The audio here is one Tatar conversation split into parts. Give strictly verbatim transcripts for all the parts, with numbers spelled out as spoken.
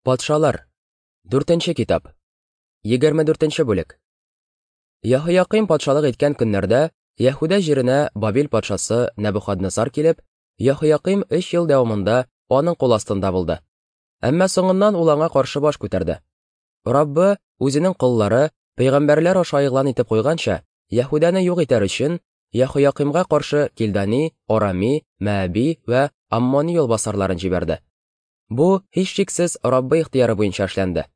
Патшалар. Дүртенче китап. Егерме дүртенче бүлек. Яһоякыйм патшалык иткән көннәрдә Яһүдә җиренә Бабил патшасы Нәбухаднессар килеп, Яһоякыйм өч ел дәвамында аның кул астында булды. Әмма соңыннан ул аңа каршы баш күтәрде. Раббы үзенең коллары, пәйгамбәрләр аша игълан итеп куйганча, Яһүдәне юк итәр өчен Яһоякыймга каршы Килдани, Арами, Мәәби вә Аммони юлбасарларын җибәрде. Бу һичшиксез Раббы ихтыяры буенча эшләнде.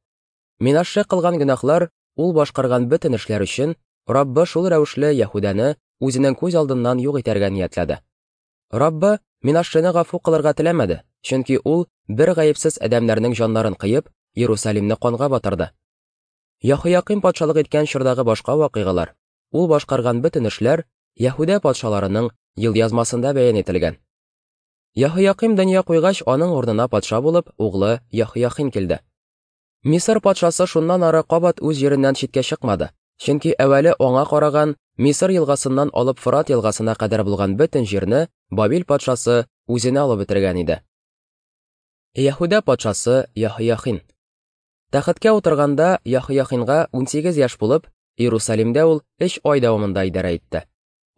Минашше кылган гөнаһлар, ул башкарган бөтен эшләр өчен Раббы шул рәвешле Яһүдәне үзенең күз алдыннан юк итәргә ниятләде. Раббы Минашшене гафу кылырга теләмәде, чөнки ул бер гаепсез адәмнәрнең җаннарын кыеп, Иерусалимны канга батырды. Яһоякыйм патшалык иткән чордагы башка вакыйгалар, ул башкарган бөтен эшләр Яһүдә патшаларының елъязмасында бәян ителгән. Яһоякыйм дөнья куйгач, аның урынына патша булып углы Яһояхин килде. Мисыр патшасы шуннан ары кабат үз җиреннән читкә чыкмады, чөнки әүвәле аңа караган Мисыр елгасыннан алып Фырат елгасына кадәр булган бөтен җирне Бабил патшасы үзенә алып бетергән иде. Яһүдә патшасы Яһояхин. Тәхеткә утырганда Яһояхинга унсигез яшь булып, Иерусалимдә ул өч ай дәвамында идарә итте.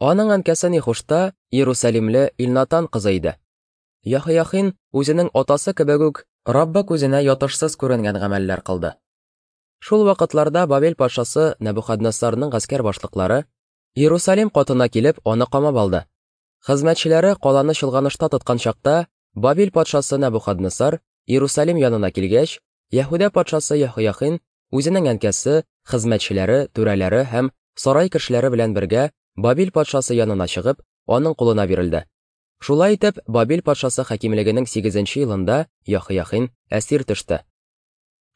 Аның әнкәсе Нихушта Иерусалимле Илнатан кызы иде. Яһояхин үзенең атасы кебек үк Раббы күзенә ятышсыз күренгән гамәлләр кылды. Шул вакытларда Бабил патшасы Нәбухаднессарның гаскәр башлыклары Иерусалим катына килеп аны камап алды. Хезмәтчеләре каланы чолганышта тоткан чакта Бабил патшасы Нәбухаднессар Иерусалим янына килгәч, Яһүдә патшасы Яһояхин үзенең әнкәсе, хезмәтчеләре, түрәләре һәм сарай кешеләре белән бергә Бабил патшасы янына чыгып, аның кулына бирелде. Шулай итеп, Бабил патшасы хакимлегенең сигезенче елында Яһояхин әсир төште.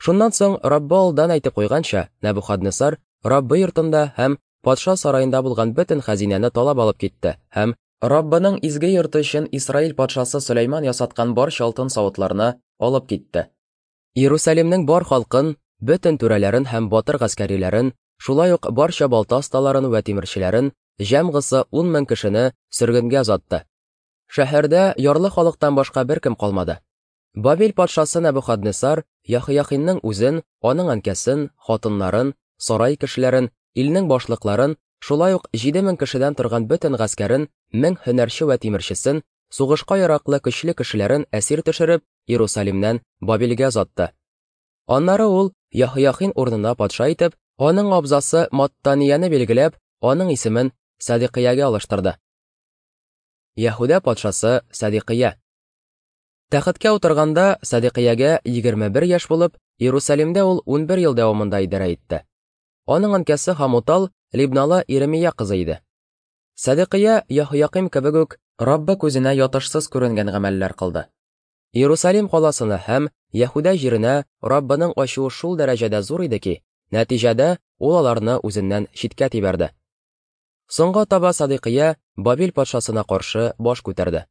Шуннан соң Раббы алдан әйтеп куйганча, Нәбухаднессар Раббы йортында һәм патша сараенда булган бөтен хәзинәне талап алып китте һәм Раббының изге йорты өчен Исраил патшасы Сөләйман ясаткан барча алтын савытларны алып китте. Иерусалимнең бар халкын, бөтен түрәләрен һәм батыр гаскәриләрен, шулай ук барча балта осталарын вә тимерчеләрен, җәмгысы ун мең кешене сөргенгә озатты. Шәһәрдә ярлы халыктан башка беркем калмады. Бабил патшасы Нәбухаднессар Яһояхинның үзен, аның әнкәсен, хатыннарын, сарай кешеләрен, илнең башлыкларын, шулай ук җиде мең кешедән торган бөтен гаскәрен, мең һөнәрче вә тимерчесен, сугышка яраклы көчле кешеләрен әсир төшереп, Иерусалимнән Бабилгә озатты. Аннары ул Яһояхин урынына патша итеп, аның абзасы Маттанияне билгеләп, аның исемен Садиқиягә алыштырды. Яһүдә патшасы Садиқия. Тәхеткә утырганда Садиқиягә егерме бер яшь булып, Иерусалимдә ул унбер ел дәвамында идарә итте. Аның әнкәсе Хамутал Либналы Иремия кызы иде. Садиқия Яһоякыйм кебек үк Раббы күзенә ятышсыз күренгән гамәлләр кылды. Иерусалим каласына һәм Яһүдә җиренә Раббының ачуы шул дәрәҗәдә зур иде ки, нәтиҗәдә ул аларны үзеннән читкә тибәрде. Соңга таба Садиқия Бабил патшасына каршы баш күтәрде.